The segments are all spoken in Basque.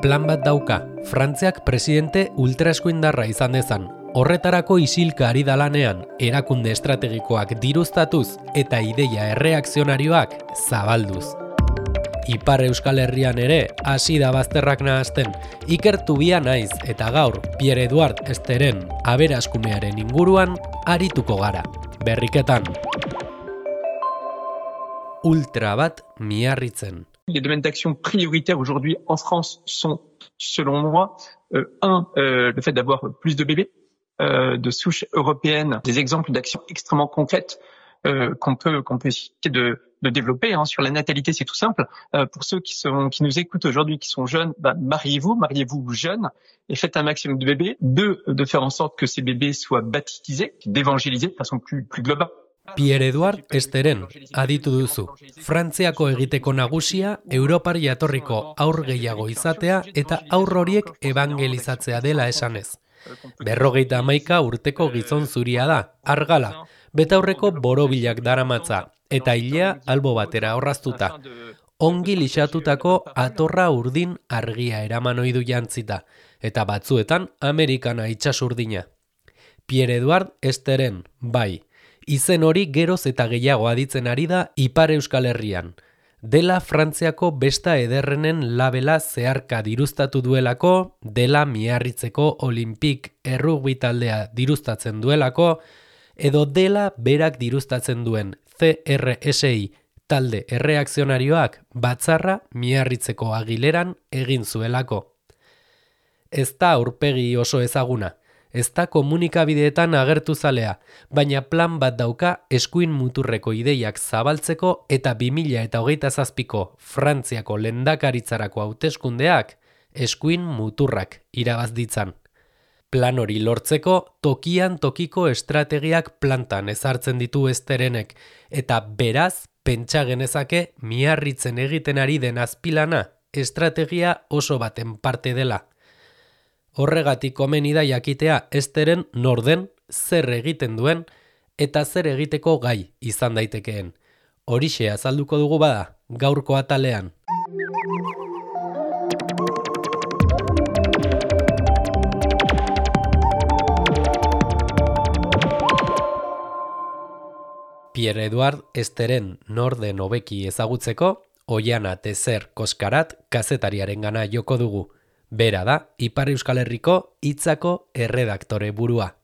Plan bat dauka, Frantziak presidente ultraeskuindarra izan dezan. Horretarako isilka ari da lanean, erakunde estrategikoak diruztatuz eta ideia erreakzionarioak zabalduz. Ipar Euskal Herrian ere hasi da bazterrak nahazten, ikertu bia naiz eta gaur Pierre Edouard Esteren aberaskumearen inguruan arituko gara. Berriketan. Ultra bat miarritzen. Les domaines d'action prioritaires aujourd'hui en France sont, selon moi, le fait d'avoir plus de bébés de souche européenne, des exemples d'actions extrêmement concrètes qu'on peut essayer de développer sur la natalité, c'est tout simple. Pour ceux qui nous écoutent aujourd'hui, qui sont jeunes, mariez-vous jeunes et faites un maximum de bébés. Deux, de faire en sorte que ces bébés soient baptisés, d'évangéliser de façon plus globale. Pierre Edouard Esteren, aditu duzu. Frantziako egiteko nagusia, Europar jatorriko haur gehiago izatea eta haur horiek evangelizatzea dela esanez. 51 urteko gizon zuria da, argala, betaurreko borobilak daramatza, eta ilea albo batera orraztuta. Ongi lixatutako atorra urdin argia eraman ohidu jantzita, eta batzuetan Amerikana itsasurdina. Pierre Edouard Esteren, bai. Izen hori geroz eta gehiago aditzen ari da Ipar Euskal Herrian. Dela Frantziako besta ederrenen labela zeharka diruztatu duelako, dela Miarritzeko Olimpik errugbi taldea diruztatzen duelako, edo dela berak diruztatzen duen CRSI talde erreakzionarioak batzarra Miarritzeko Agileran egin zuelako. Ez da aurpegi oso ezaguna. Ez da komunikabideetan agertu zalea, baina plan bat dauka eskuin muturreko ideiak zabaltzeko eta 2027ko Frantziako lehendakaritzarako hauteskundeak eskuin muturrak irabaz ditzan. Plan hori lortzeko tokian tokiko estrategiak plantan ezartzen ditu Esterenek, eta beraz pentsa genezake Miarritzen egiten ari den azpilana estrategia oso baten parte dela. Horregatik komeni da jakitea Esteren nor den, zer egiten duen eta zer egiteko gai izan daitekeen. Horixe azalduko dugu bada, gaurko atalean. Pierre Edouard Esteren nor den hobeki ezagutzeko, Oiana Tezer Koskarat kazetariarengana joko dugu. Bera da, Ipar Euskal Herriko hitzako erredaktore burua.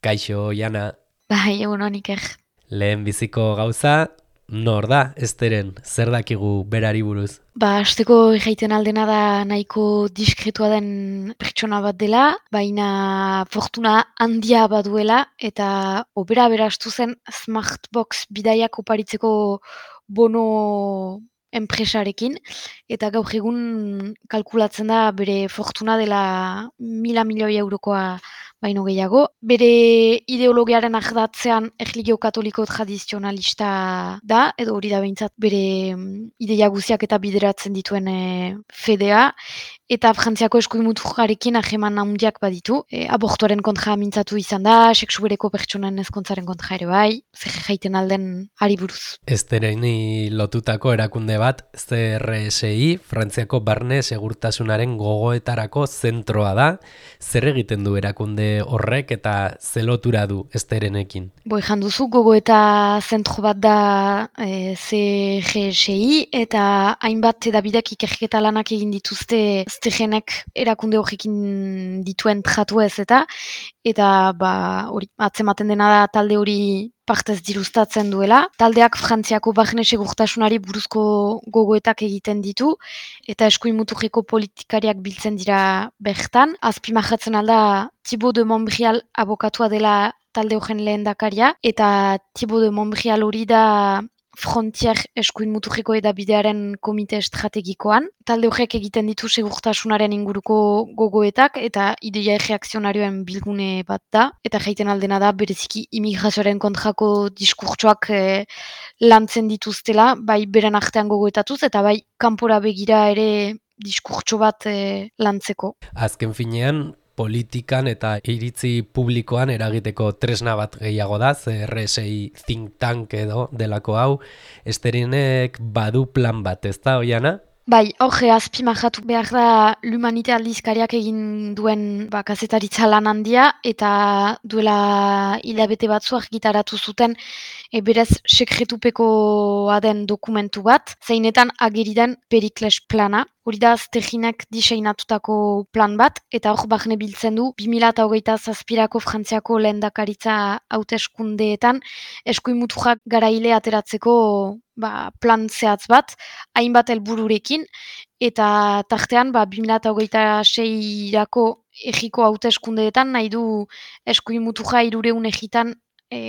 Kaixo, Oiana. Bai, egun Iker. Lehen biziko gauza, nor da, Esteren, zer dakigu berari buruz? Hasteko jaiten aldena da nahiko diskretua den pertsona bat dela, baina fortuna handia baduela, eta opera berastu zen Smartbox bidaiak oparitzeko bono enpresarekin, eta gaur egun kalkulatzen da bere fortuna dela 1.000 milioi eurokoa baino gehiago. Bere ideologiaren ardatzean erlijio katoliko tradizionalista da, edo hori da behintzat bere ideia guziak eta bideratzen dituen fedea, eta Frantziako eskuin muturrarekin hageman handiak baditu. Abortuaren kontra mintzatu izan da, sexu bereko pertsonen ezkontzaren kontra ere bai, zer jaiten alden ari buruz. Estereni lotutako erakunde bat, CRSI, Frantziako barne segurtasunaren gogoetarako zentroa da. Zer egiten du erakunde horrek eta zelotura du Esterenekin? Jan duzu, gogoeta zentro bat da CRSI, eta hainbat edabideak ikerketa lanak egin dituzte Esterenek erakunde horrekin dituen tratu ez eta hori atzematen dena da talde hori partez diruztatzen duela. Taldeak Frantziako barne segurtasunari buruzko gogoetak egiten ditu, eta eskuin muturreko politikariak biltzen dira bertan. Azpimarratzen alda Thibaut de Montbrial abokatua dela talde horren lehendakaria, eta Thibaut de Montbrial hori da Frontier eskuin muturreko edabidearen komite estrategikoan. Talde horrek egiten ditu segurtasunaren inguruko gogoetak eta ideia erreakzionarioen bilgune bat da. Eta jaiten aldena da bereziki imigrazioaren kontrako diskurtsoak lantzen dituztela, bai beren artean gogoetatuz eta bai kanpora begira ere diskurtso bat lantzeko. Azken finean, politikan eta iritzi publikoan eragiteko tresna bat gehiago da, CRSI think tank edo delako hau. Esterenek badu plan bat, ez da, Oiana? Bai, hor azpimarratu behar da L'Humanite aldizkariak egin duen kazetaritza lan handia eta duela hilabete batzu argitaratu zuten berez sekretupekoa den dokumentu bat, zeinetan ageri den Perikles plana. Hori da Steginek diseinatutako plan bat, eta hor barne biltzen du 2027ko Frantziako lehendakaritza hauteskundeetan eskuin muturrak garaile ateratzeko plan zehatz bat, hainbat helbururekin, eta tartean 2026irako egiko hauteskundeetan nahi du eskuin muturra 300 egitan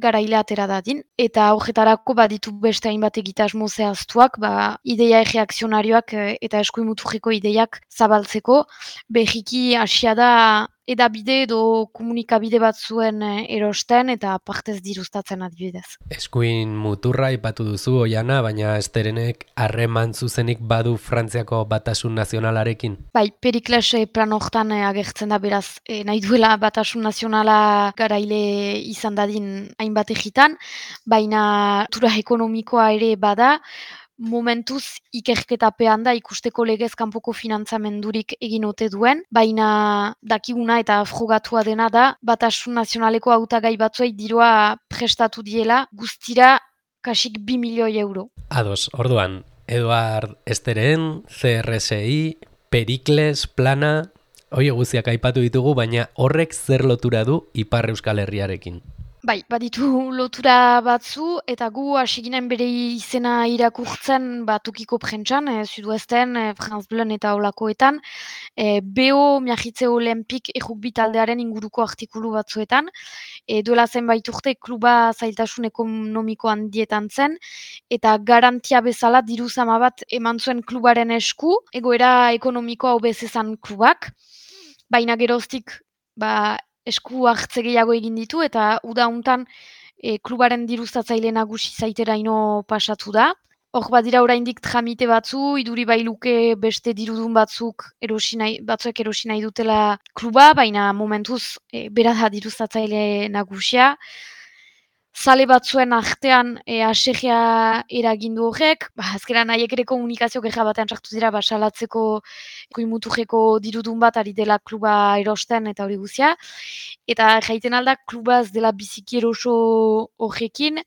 garaile atera dadin, eta horretarako baditu beste hainbat egitasmo zehaztuak, ideia erreakzionarioak eta eskuin muturreko ideiak zabaltzeko, berriki hasia da edabide edo komunikabide batzuen erosten eta partez diruztatzen adibidez. Eskuin muturra aipatu duzu, Oiana, baina Esterenek harreman zuzenik badu Frantziako batasun nazionalarekin? Bai, Perikles plan hortan agertzen da beraz, nahi duela batasun nazionala garaile izan dadin hainbat egitan, baina tura ekonomikoa ere bada, momentuz ikerketapean da ikusteko legez kanpoko finantzamendurik egin ote duen, baina dakiguna eta frogatua dena da, batasun nazionaleko hautagai batzuei dirua prestatu diela, guztira kasik 2 milioi euro. Ados, orduan, Eduard Esteren, CRSI, Perikles, plana, hori guztiak aipatu ditugu, baina horrek zer lotura du Ipar Euskal Herriarekin? Bai, baditu lotura batzu, eta gu hasiginen bere izena irakurtzen tukiko prentsan, Sudoesten, France Bleun eta olakoetan, BO Miagitze Olimpik errugbi taldearen inguruko artikulu batzuetan, duela zenbait urte kluba zailtasun ekonomiko handietan zen, eta garantia bezala diru zama bat eman zuen klubaren esku, egoera ekonomikoa hobezezan klubak, baina geroztik esku hartze gehiago egin ditu eta uda hontan klubaren diruztatzaile nagusi zaiteraino pasatu da. Hor badira oraindik tramite batzu, iduri bailuke beste dirudun batzuek erosi nahi dutela kluba, baina momentuz bera da diruztatzaile nagusia. Zale batzuen artean asegia eragindu horrek, azkeran haiek ere komunikazio geha batean sartu dira salatzeko muturreko dirudun bat ari dela kluba erosten eta hori guzia. Eta jaiten alda kluba ez dela biziki eroso horrekin,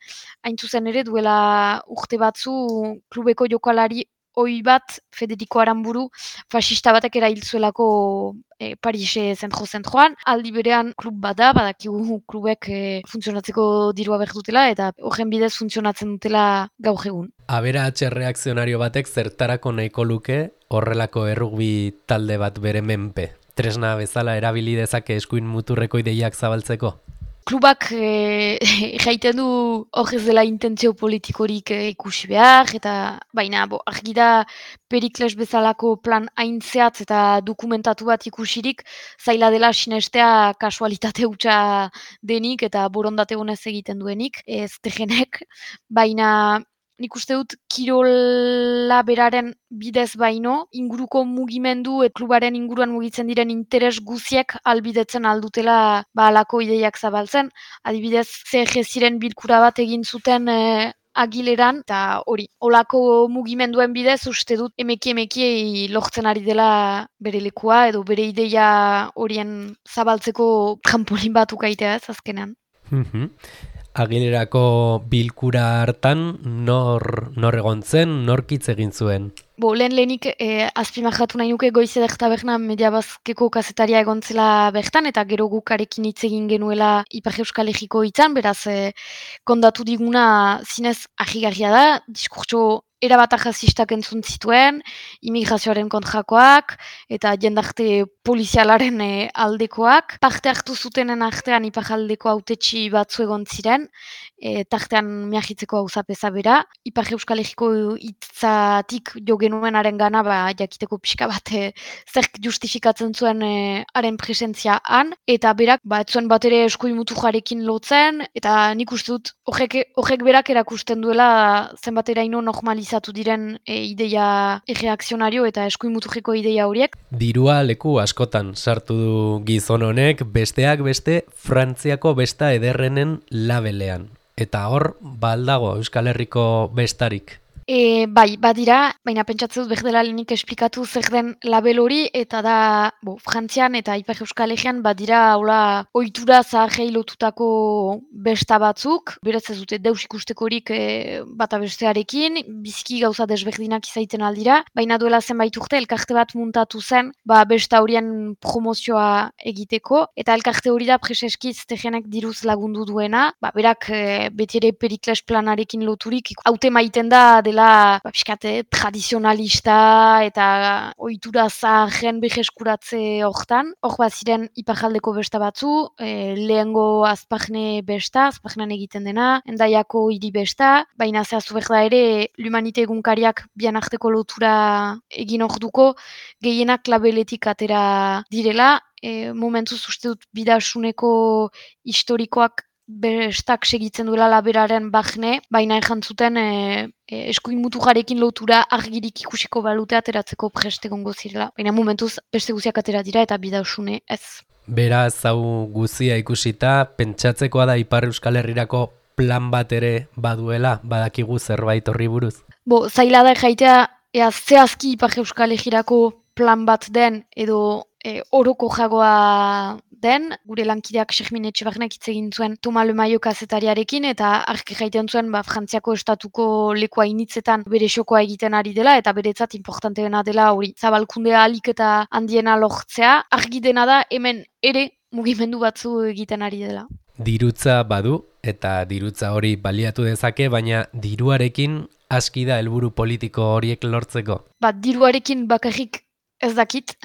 hain zuzen ere duela urte batzu klubeko jokalari ohi bat Federico Aramburu fascista batek erailtzuelako Parise zentro-zentroan, aldi berean klub bada, badakigu klubek funtzionatzeko dirua behar dutela, eta horren bidez funtzionatzen dutela gaur egun. Aberats erreakzionario batek zertarako nahiko luke horrelako errugbi talde bat bere menpe? Tresna bezala erabili dezake eskuin muturreko ideiak zabaltzeko? Klubak jaiten du hor ez dela intentzio politikorik ikusi behar, eta baina argi da Perikles bezalako plan haintzeatz eta dokumentatu bat ikusirik zaila dela sinestea kasualitate hutsa denik eta borondate honez egiten duenik, ez tegenek, baina nik uste dut kirola beraren bidez baino, inguruko mugimendu klubaren inguruan mugitzen diren interes guziek albidetzen aldutela alako ideiak zabaltzen. Adibidez, CG-ziren bilkura bat egin zuten Agileran, eta hori, olako mugimenduen bidez uste dut emeki lortzen ari dela bere lekua edo bere ideia horien zabaltzeko trampolin bat ukaitea ez azkenean. Agilerako bilkura hartan nor egon zen, norkitz egin zuen? Lehenik azpimarratu nahi nuke Goiz Eder Taberna Mediabazkeko kazetaria egon zela bertan, eta gero gukarekin hitz egin genuela Ipar Euskal Herriko hitzan, beraz kondatu diguna zinez ahigarria da, diskurtso erabat arrazistak entzun zituen, immigrazioaren kontrakoak, eta jendarte polizialaren aldekoak. Parte hartu zutenen artean iparaldeko hautetsi batzu egon ziren, tartean Miagitzeko auzapeza bera. Ipar Euskal Herriko hitzatik jo genuenaren gana, jakiteko pixka bat zerk justifikatzen zuen haren presentzia han, eta berak ez zuen bat ere eskuin muturrarekin lotzen, eta nik uste dut horrek berak erakusten duela zenbateraino normalizatu diren ideia erreakzionario eta eskuin muturreko ideia horiek. Dirua leku askotan sartu du gizon honek, besteak beste Frantziako besta ederrenen labelean. Eta hor, baldago Euskal Herriko bestarik. Bai, badira, baina pentsatzen dut berdela lehenik esplikatu zer den label hori, eta da, Frantzian eta Ipar Euskal Herrian badira hola ohitura zaharrei lotutako besta batzuk, beraz ez dute deus ikustekorik bata bestearekin, biziki gauza desberdinak izaiten aldira, baina duela zenbait urte elkarte bat muntatu zen, besta horien promozioa egiteko, eta elkarte hori da preseski Stegenek diruz lagundu duena, berak beti ere Perikles planarekin loturik, haute maiten da dela pixkate tradizionalista eta ohitura zaharren berreskuratze hortan. Hor baziren iparjaldeko besta batzu, lehengo Azpajne besta, Azpajnean egiten dena, Hendaiako hiri besta, baina zehaztu behar da ere L'Humanite egunkariak bian arteko lotura egin orduko gehienak labeletik atera direla, momentuz uste dut bidasuneko historikoak bestak segitzen duela laberaren bahne, baina errantzuten eskuin mutujarekin lotura argirik ikusiko balute ateratzeko prest egongo zirela. Baina momentuz beste guziak atera dira eta bidasune ez. Beraz, hau guzia ikusita, pentsatzekoa da Ipar Euskal Herrirako plan bat ere baduela, badakigu zerbait horri buruz? Zaila da jaitea, zehazki Ipar Euskal Herrirako plan bat den edo oroko jagoa den, gure lankideak Xermin Etxebarnek hitz egin zuen Toma Lemaio kazetariarekin eta argi jaiten zuen Frantziako estatuko lekua initzetan bere xokoa egiten ari dela eta beretzat importanteena dela hori zabalkundea alik eta handiena lortzea, argi dena da hemen ere mugimendu batzu egiten ari dela. Dirutza badu eta dirutza hori baliatu dezake, baina diruarekin aski da helburu politiko horiek lortzeko. Diruarekin bakarrik ez dakit,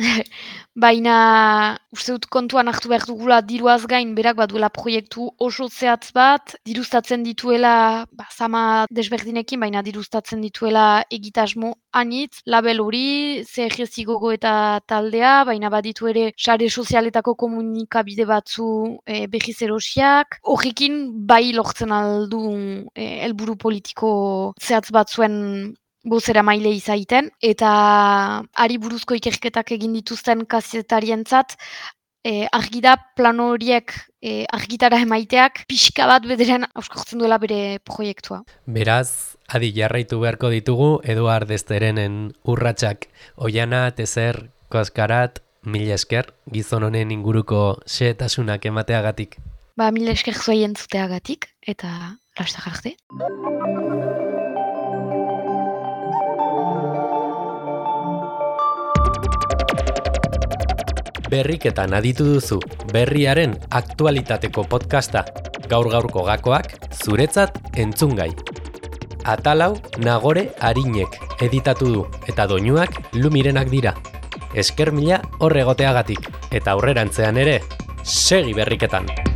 baina uste dut kontuan hartu behar dugula diruaz gain berak baduela proiektu oso zehatz bat, diruztatzen dituela zama desberdinekin, baina diruztatzen dituela egitasmo anitz, label hori, CRS gogo eta taldea, baina baditu ere sare sozialetako komunikabide batzu berriz erosiak, horrekin bai lortzen aldu helburu politiko zehatz batzuen bozera maile izaiten, eta ari buruzko ikerketak egin dituzten kazetarientzat, argi da plan horiek argitara emaiteak pixka bat bederen auskortzen duela bere proiektua. Beraz, adi jarraitu beharko ditugu Eduard Esterenen urratsak. Oiana, Tezer, Koskarat, mila esker, gizon honen inguruko xehetasunak emateagatik. Mila esker zuei entzuteagatik, eta lastar arte. Berriketan aditu duzu, berriaren aktualitateko podcasta, gaur-gaurko gakoak, zuretzat entzungai. Atalau Nagore Arinek editatu du, eta doinuak Lumirenak dira. Esker mila horregoteagatik, eta aurrerantzean ere, segi berriketan!